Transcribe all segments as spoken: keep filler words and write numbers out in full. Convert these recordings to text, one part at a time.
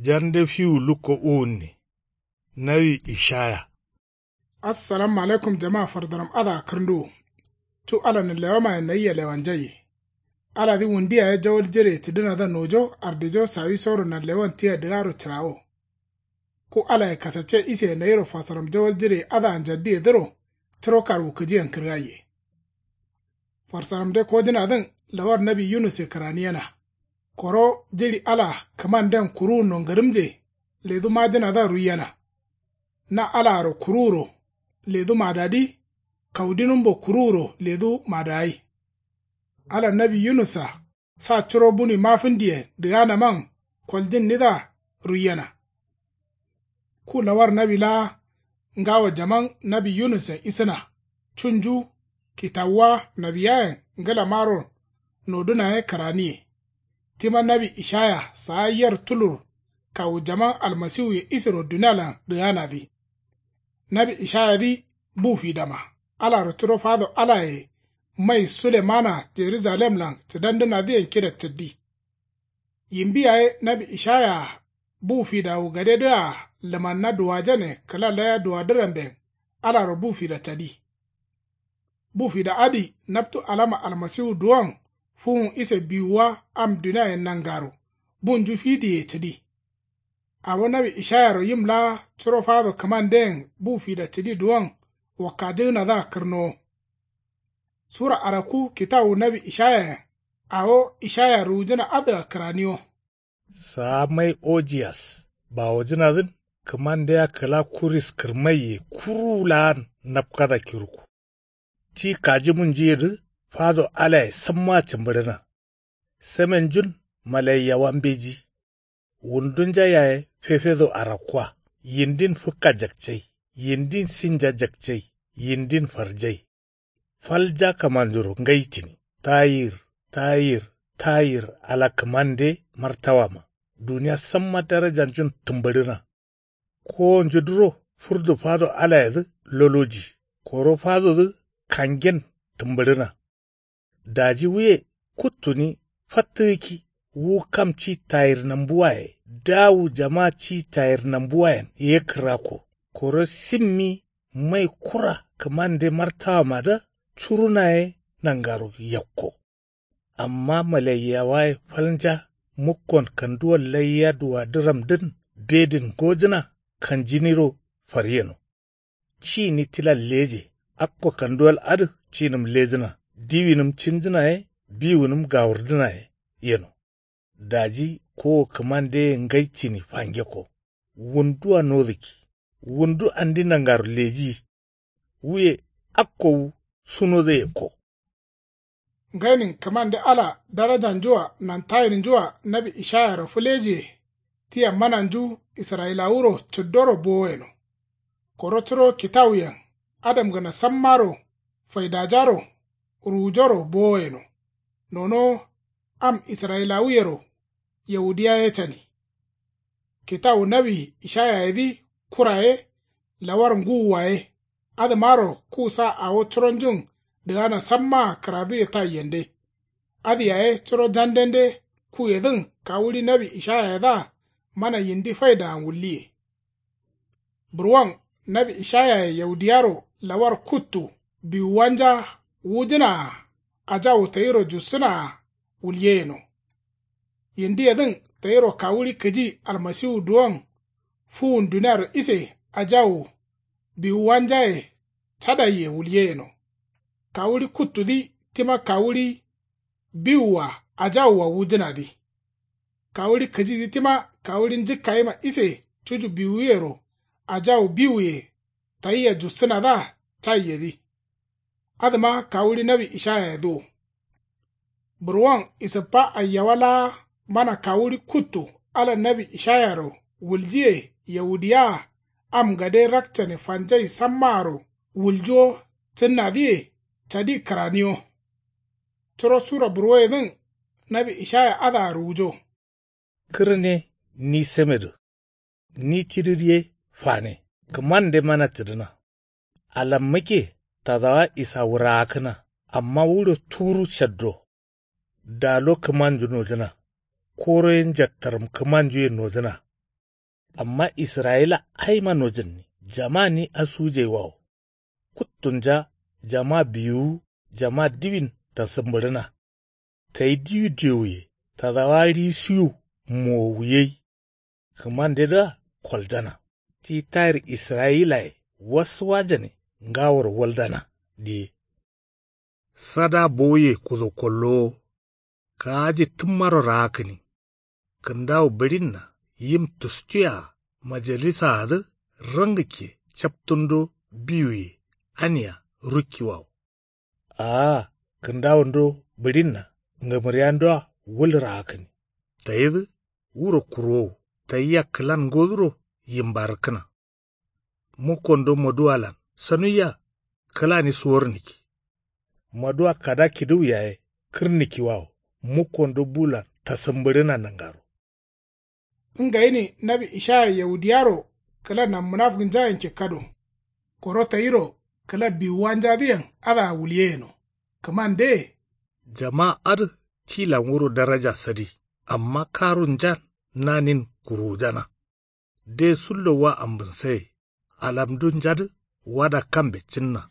Jande fiwu lukko uwunne. Nawi ishaya. Assalamu alaikum jama fardaram adǝa kǝrnduwu. Cu ala nǝllewamaye nayia lewanjaiye. Aladǝ wundu yaye jawal jireye cǝdǝnadǝa nojo ardijo sawisoro nanlewan tia dǝgaro cǝrawo. Ku alaye kasacce iseye nayiro fasaram jawal jireye adǝa njaddiyedǝro. Curo karwukǝjiyen kǝrgaiye. Farsaramde kojǝnadǝn lawar nawi yunusse kǝraniyena. Koro jiɍi ala kǝmanden kuruwunno ngǝrǝmje ledu majǝnadǝa ruiyena. Na alaaro kuruwuro ledu madadǝ. Kaudinumbo kuruwuro ledu madagai. Ala nawi yunussa sa curo buni mafǝndiyen dǝganaman koljǝnnidǝa ruiyena. Ku lawar nawi laa ngawo jaman nawi yunussen isǝna. Cunju kitawuwa nawiyayen ngǝlamaro noduna ye kǝraniye. Tima nawi ishaya saa yer tulur kawu jaman almasiwuye isero dunialan dǝganadǝ. Nawi ishayadǝ bu fidama alaro curo fado alaye mai sulemana jerujalemlan cǝdandǝnadǝyen kida cǝddi. Yimbi yaye nawi ishaya-a bu fidawu gadedǝa lǝmanna duwajane kǝla laya duwadǝramben alaro bu fida cadi. Bu fida adǝ naptu alama almasiwu duwon fuwun ise biwuwa am duniayen nangaro bunju fidiye cǝdi. Awo nawi ishayaro yim laa curo fado kǝmanden bu fida cǝdi duwon wakkajǝgǝnadǝa kǝrnowo. Sura arakku kitawu nawi ishayayen awo ishaya ruwujǝna adǝa kǝraniwo. Saa mai ojiyas bawojǝnadǝn kǝmandea kǝla kuris kǝrmaiye kuruwu laan napkada kirukku. Ti kajimunjuyedǝ fado alaye sammaa cǝmbǝɍǝna. Semenjun malaiyawa mbeji. Wundunja yaye fefedo arakkua. Yindin fǝkka jakcai. Yindin sinja jakcai. Yindin farjai. Falja kǝmanjuro ngai cǝni. Tayir tayir tayir ala kǝmande martawama. Duniya samma darajanjun tǝmbǝɍǝna. Kowonjudǝro furdu fado alayedǝ loloji. Koro fadodǝ kangen tǝmbǝɍǝna. Daji wuye kuttuni fattǝgǝkki wu kam ci tayir nambuwaye dawu jama ci tayir nambuwayen ye kǝrakko. Koro simmi mai kura kǝmande martawamadǝa curuna ye nangaro yakko. Amma malaiyawaye falnja mukkon kanduwal laiya duwadǝramdǝn bedin ngojǝna kanjiniro faryeno. Cini tilan leje akko kanduwal adǝ cinǝm lejǝna diwinǝm cinjǝna ye biwunǝm gawurdǝna ye yeno. Daji kowo kǝmandeye ngai cini fangekko. Wundua nodǝkki wundu andi nangaro lejiyi. Wuye akko wu sunodo yekko. Ngainin kǝmande ala darajanjua nantayinjua nawi ishayaro fǝlejiye. Tia mananju israyilawuro cǝddoro bowo yeno. Koro curo kitawuyen adamgǝna sammaro faidajaro ruwujoro bowo yeno. Nonowo am israyilawuyero yaudiya ye cani. Kitawu nawi ishayayedǝ kura ye lawar ngǝwwa ye. Adǝmaro ku sa awo curonjun dǝgana sammaa kǝraduye taiyende. Adǝ yaye curo jandende kuyedǝn kawuɍi nawi ishayayedǝa mana yindi faidayen wulliye. Burwon nawi ishayaye yaudiyaro lawar kuttu biwuwanja wujǝnaa ajawu tayiro jussǝnaa wulye yeno. Yindiyedǝn tayiro kawuɍi kǝji almasiwu duwon fuwun duniaro ise ajawu biwuwanjaye cadaiye wulye yeno. Kawuɍi kuttudǝ tima kawuɍi biwua ajawua wujǝnadǝ. Kawuɍi kǝjidǝ tima kawuɍi njǝkkayima ise cuju biwuyero ajawu biwuye tayia jussǝnadǝa caiyedǝ. Adǝma kawuɍi nawi ishayayedǝ wo. Burwon isǝppa aiyawa laa mana kawuɍi kuttu ala nawi ishayaro wuljiye yaudiyaa am gade rakcane fanjai sammaaro wuljuwo cǝnnadǝye cadi kǝraniwo. Curo sura burwoyedǝn nawi ishaya adǝa ruwujo. Kǝrne ni semedǝ. Ni cidǝ ye fane kǝmande mana cǝdǝna. Alammakke tadawa isa wuraakǝna. Amma wuɍo turu caddo. Dalo kǝmanju nojǝna. Koro ye njattaram kǝmanju ye nojǝna. Amma israyila aima nojǝnni jama ni asujaiwawo. Kuttunja jama biwuwu jama diwin tasǝmbǝɍǝna. Tayi diwi dewuye tadawa risiwu mowuye. Kǝmandedǝa koljana. Ti tayir israyilaye wasuwajane ngaworo waldana diye. Sada bowuye kudo kollowo. Kaaji tǝmmaro raakǝni. Kǝndawu bǝɍinna yim tustuye-a majalisaadǝ rangǝkke captundo biwuye ania rukkiwawo. Aa kǝndawundo bǝɍinna ngǝmǝriyandua wul raakǝni. Tayidǝ wuro kurowo tayia kǝlan ngoduro yimbarǝkkǝna. Mukkondo maduwalan sanuiya kǝlani suwornǝkki. Maduwa kada kiduwu yaye kǝrnǝkkiwawo mukkondo bulan tasǝmbǝɍǝna nangaro. Ngayini nawi ishaya yahudiyaro kǝla nammǝnafǝgǝnjayen kikkado. Koro tayiro kǝla biwuwanjadǝyen adǝa wulyeyeno. Kǝmande. Jama adǝ tilan wuro daraja sadi. Amma karunjan nanin kuruwujana. De sullo wa ambǝnsaye. Alamdunjadǝ wada kambe cǝnna.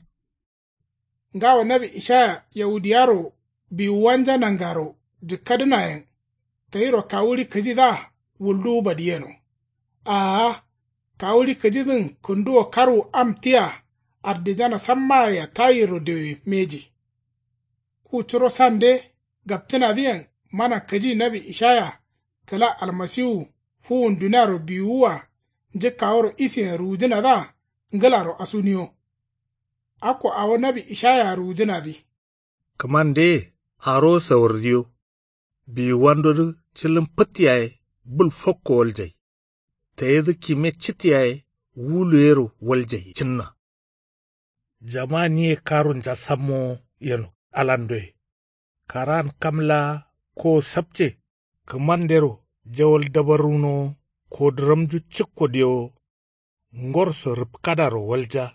Ngawo nawi ishaya yahudiyaro biwuwanja nangaro jǝkkadǝnayen. Tayiro kawuɍi kǝjidǝa wulduwu badiyeno. Aa kawuɍi kǝjidǝn kǝnduwo karwu am tia ardijana sammayea tayirro dewe mbeji. Ku curo sande gapcǝnadǝyen mana kǝji nawi ishaya kǝla almasiwu fuwun duniaro biwuwua njǝkkaworo isiyen ruwujǝnadǝa ngǝlaro asuniyo. Akko awo nawi ishayaya ruwujǝnadǝ. Kǝmandeye arowo sawardiyo. Biwuwandodǝ cǝlǝm fǝt yaye bul fokko waljai. Tayidǝ kime cit yaye wulu yero waljai cǝnna. Jama niye karunja sammowo yeno alandoye. Karan kam laa kowo sapce. Kǝmandero jawal dabarrunowo kodǝramnju cǝkko dewo. Ngorso rǝpkadaro walja.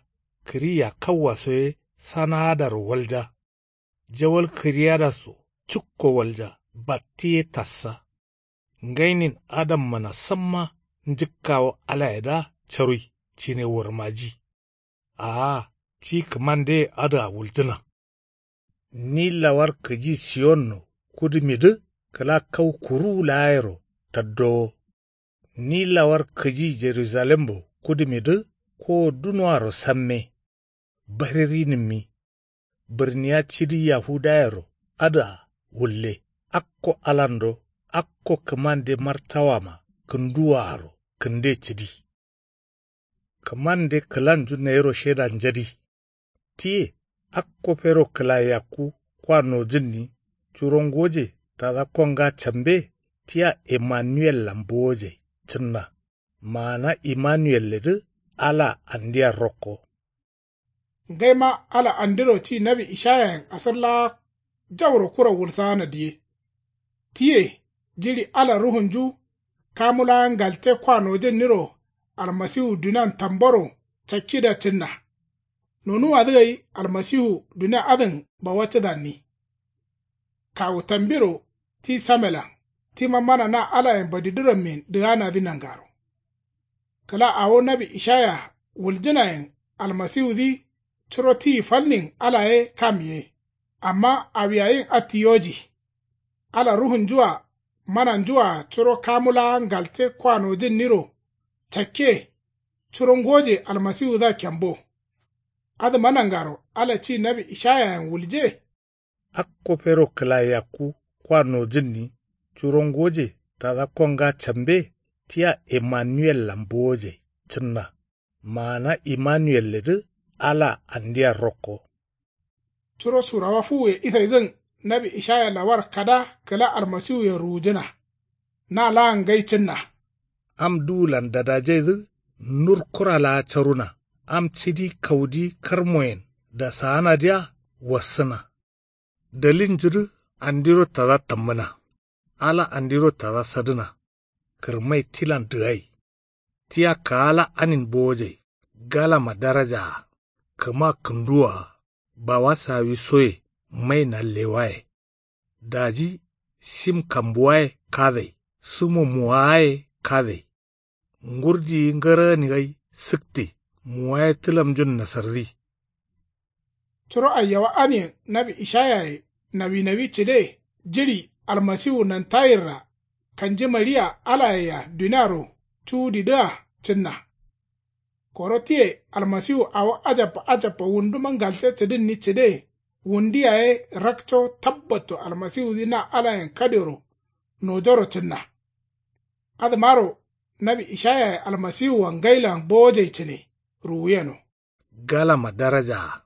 Kǝri yakkawaso ye sanaadaro walja. Jawal kǝriyada so cǝkko walja. Batti ye tassa. Ngainin adammana samma njǝkkawo alayedǝa carui cine warmaji. Aa ti kǝmandeye adǝa wuljǝna. Ni lawar kǝji siyonno kudǝmidǝ kǝla kau kuruwu laayero taddowo. Ni lawar kǝji jerujalembo kudǝmidǝ kowo dunoaro samme. Baririnǝmmi. Bǝrniya cidi yahudayero adǝa wulle. Akko alando akko kǝmande martawama kǝnduwaaro kǝnde cǝdi. Kǝmande kǝlanju nayiro sheda njadi. Tiye akko fero kǝlayakku kwa nojǝnni. Curo ngoje tada konga cambe tia emmanuwellan bowojai cǝnna. Maana immanuwelledǝ alaa andia rokko. Ngaima ala andiro ti nawi ishayayen asǝr laa jauro kura wulsaana diye. Tiye jiɍi ala ruhunju kamu laa ngalte kwa nojǝnniro almasiwu dunian tamboro cakkida cǝnna. Nonuwadǝ gai almasiwu dunia adǝn bawaccǝdanni. Kawu tambiro ti samelan tima mana na alayen badidǝrammin dǝganadǝ nangaro. Kǝla awo nawi ishaya wuljǝnayen almasiwudǝ curo tiyi falnin ala ye kam ye. Amma awiyayin atti yoji. Ala ruhunju-a mananju-a curo kamu laa ngalte kwa nojǝnniro cakke. Curo ngoje almasiwudǝa kembo. Adǝma nangaro ala ci nawi ishayayen wulje. Akko fero kǝlayakku kwa nojǝnni. Curo ngoje tada konga cambe tia emmanuwellan bowojai cǝnna. Maana immanuwelledǝ alaa andia rokko. Curo surawa fuwuye isaidǝn nawi ishaya lawar kada kǝla almasiwuyen ruwujǝna. Na laan ngai cǝnna. Am duwulan dadajaidǝ nur kura laa caruna. Am cidi kaudi karmoyen dasaanadǝa wassǝna. Dalilnjudǝ andiro tada tammǝna. Ala andiro tada sadǝna. Kǝrmai tilan dǝgai. Tia kaala anin bowojai. Galama darajaa. Kǝma kǝnduwaa. Bawa sawi soye. Mai nallewaye. Daji sim kambuwaye kadai. Sǝmo muwaaye kadai. Ngurdiyi ngǝrani ngai sǝkti. Muwaye tǝlamnjun nasardi. Curo aiyawa aniyen nawi ishayaye nawi nawi cǝde. Jiɍi almasiwu nantayinra kanji maɍiya alayea duniaro cuwudidǝa cǝnna. Koro tiye almasiwu awo ajabba ajabba wunduma ngalce cǝdǝnni cǝde. Wundi yaye rakco tabbatto almasiwudǝ na alayen kadioro nojoro cǝnna. Adǝmaro nawi ishayaye almasiwua ngailan bowojai cǝne ruwuyeno. Galama darajaa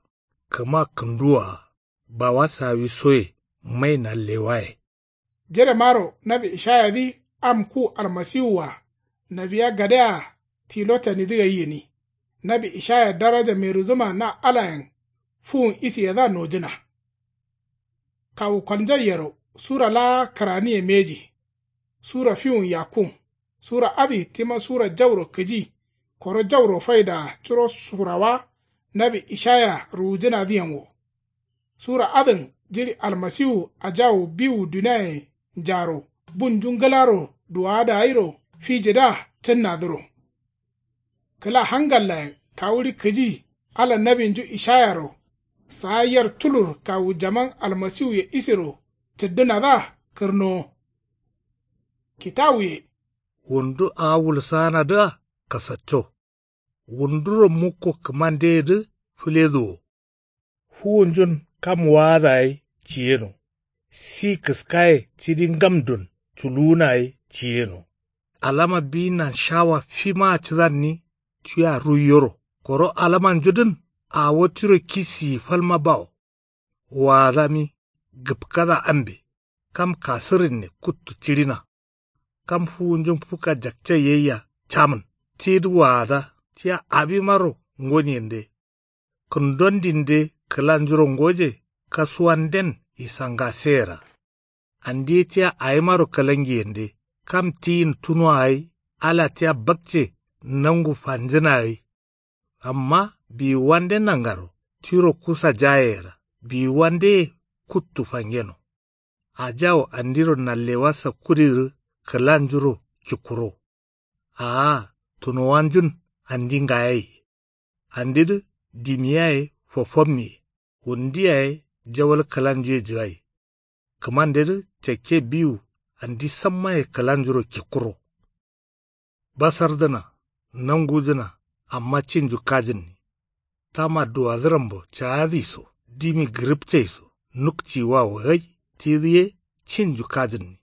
kǝma kǝnduwaa bawa sawisoye mai nallewaye. Jiremaro nawi ishayadǝ am ku almasiwua nawiya gadea tilo canidǝ gai gǝni. Nawi ishaya daraja merudǝma na alayen fuwun isiyedǝa nojǝna. Kawu kolnjaiyero sura laa kǝraniye mbeji. Sura fiwun yakkun. Sura adǝ tima sura jauro kǝji. Koro jauro faidaa curo surawa nawi ishaya ruwujǝnadǝyen wo. Sura adǝn jiɍi almasiwu ajawu biwu duniaye njaro bunju ngǝlaro duwada gairo fijidǝa cǝnnadǝro. Kǝla hangallayen kawuɍi kǝji ala nawinju ishayaro. Saa yer tulur kawu jaman almasiwuye isiro cǝddǝnadǝa kǝrnowo. Kitawuye. Wundu awo wulsaanadǝa kasacco. Wunduro mukko kǝmandeyedǝ fǝleduwo. Fuwunjun kam waada gai ciyeno. Si kǝskaye cidi ngamdun culuwuna gai ciyeno. Alama biyinan shawa fimaa cǝdanni tia ruiyoro. Koro alamanjudǝn awo tiro kisiyi falma bawo. Waadami gǝpkada ambe. Kam kasǝrinne kuttu ciɍina. Kam fuwunjun fuka jakcai gaia camǝn tidǝ waada tia abimaro ngoniyende. Kǝndondinde kǝlanjuro ngoje kasuwanden isangaseyera. Andi ye tia awimaro kǝlangiyende kam tiyin tunoa gai ala tia bakce nangu fanjǝna gai. Amma biwuwande nangaro tiro kusa jayeyera biwuwandeye kuttu fangeno. Ajawo andiro nallewa sakkudidǝ kǝlanjuro kikkuro. Aa tunowanjun andi ngayaiye. Andidǝ dimi yaye fofommiye. Wundi yaye jawal kǝlanjuye jǝgai. Kǝmandedǝ cakke biwu andi sammaye kǝlanjuro kikkuro. Basardǝna nangudǝna amma cinju kajǝnni. Tama duwadǝrambo caadǝ iso dimi gǝrǝpcai so nukciwawo gai tidǝ ye cinju kajǝnni.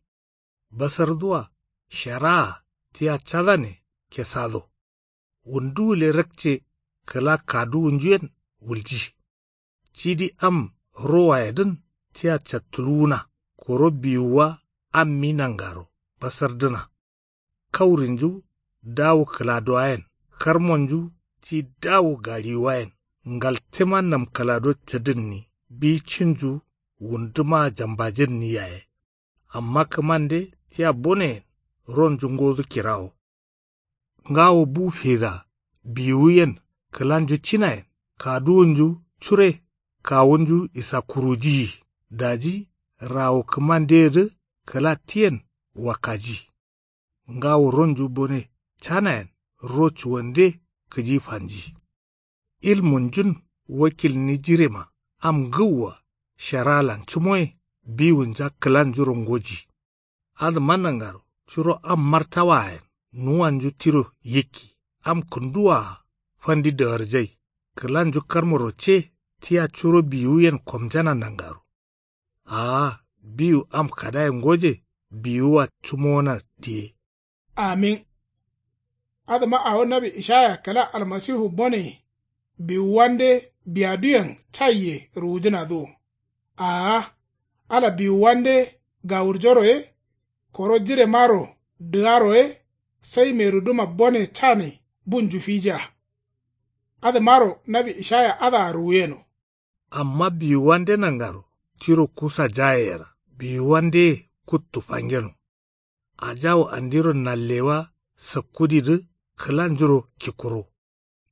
Basardǝwa sharaa tia cadane kesado. Wundu gǝle rakce kǝla kaduwunjuyen wulji. Cidi am rowayedǝn tia cattuluwuna koro biwuwa ammi nangaro basardǝna. Kaurinju dawu kǝladuwayen karmonju ti dawu gaɍiwuwayen ngaltema namkǝlado cǝdǝnni bi cinju wundumaa jambajǝnni yaye. Amma kǝmande tia boneyen ronju ngodu kirawo. Ngawo bu fida biwuyen kǝlanju cinayen kaduwunju cure kawunju isakkurujiyi. Daji rawu kǝmandeyedǝ kǝla tiyen wakkaji. Ngawo ronju bone canayen ro cuwande kǝji fanji. Ilmunjun wakilni jirema am ngǝwwa sharalan cǝmoye biwunja kǝlanjuro ngoji. Adǝma nangaro curo am martawaayen nuwanju tiro yikki am kǝnduwaa fandi dagarjai. Kǝlanju karmoro ce tia curo biwuyen komjana nangaro. Aa biwu am kadaye ngoje biwuwa cǝmowona diye. Amin. Adǝma awo nawi ishaya kǝla almasihu bone biwuwande biyaduyen caiye ruwujǝnadǝ wo. Aa ala biwuwande gawurjoro ye koro jiremaro dǝgaro ye sai meruduma bone cane bunju fija. Adǝmaro nawi ishaya adǝa ruwuyeno. Amma biwuwande nangaro tiro kusa jayeyera biwuwandeye kuttu fangeno. Ajawu andiro nallewa sakkudidǝ kǝlanjuro kikkuro.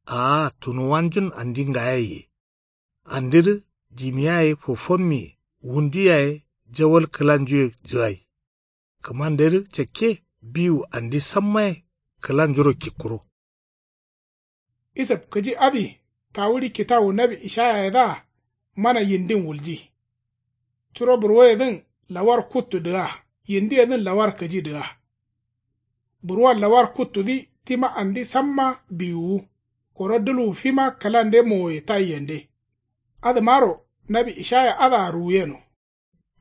Aa tunuwanjun andi ngayaiye. Andidǝ dimi yaye fofommiye wundu yaye jawal kǝlanjuye jǝgai. Kǝmandedǝ cakke biwu andi sammaye kǝlanjuro kikkuro. Isǝb kǝji adǝ kawuɍi kitawu nawi ishayayedǝa mana yindin wulji. Curo burwoyedǝn lawar kuttu dǝga, yindiyedǝn lawar kǝji dǝga. Burwon lawar kuttudǝ tima andi samma biwuwu. Koro dǝlwu fima kǝlande mowoye taiyende. Adǝmaro nawi ishaya adǝa ruwuyeno.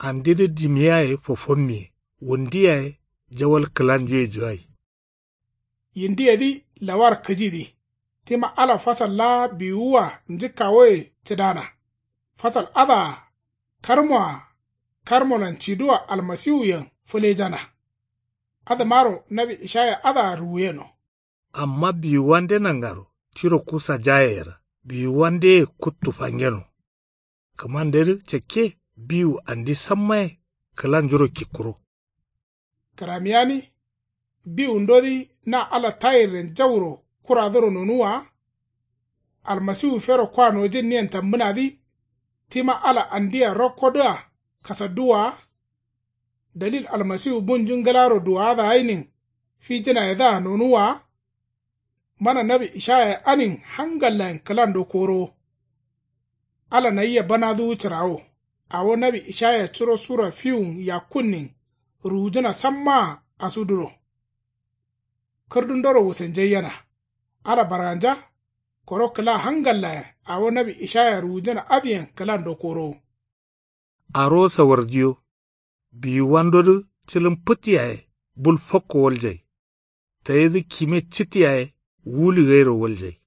Andidǝ dimiyaye fofommiye, wundu yaye jawal kǝlanjuye jǝgai. Yindiyedǝ lawar kǝjidǝ tima ala fasal laa biwuwua njǝkkawoye cǝdana. Fasal adǝa karmoa karmolan cidua almasiwuyen fǝlejana. Adǝmaro nawi ishaya adǝa ruwuyeno. Amma biwuwande nangaro tiro kusa jaye yera biwuwandeye kuttu fangeno. Kǝmandedǝ cakke biwu andi sammaye kǝlanjuro kikkuro. Kǝramiyani biwundodǝ na ala tayirren jauro kuradǝro nonuwwa wa? Almasiwu fero kwa nojǝnniyen tambǝnadǝ tima ala andia rokkodǝa kasadduwwa wa? Dalil almasiwu bunju ngǝlaro duwaadǝ ainin fijǝnayedǝa nonuwwa wa? Mana nawi ishayaye anin hangallayen kǝlando korowo. Ala nayia banaduwu cǝrawo. Awo nawi ishaya curo sura fiwun yakkunnin ruwujǝna sammaa asuduro. Kǝrdundoro wusenjaiyena. Ala barganja. Koro kǝla hangallayen awo nawi ishaya ruwujǝna adǝyen kǝlando korowo. Arowo sawardiyo. Biwuwandodǝ cǝlǝm fǝt yaye bul fakko waljai. Tayidǝ kime cit yaye wuli gairo waljai.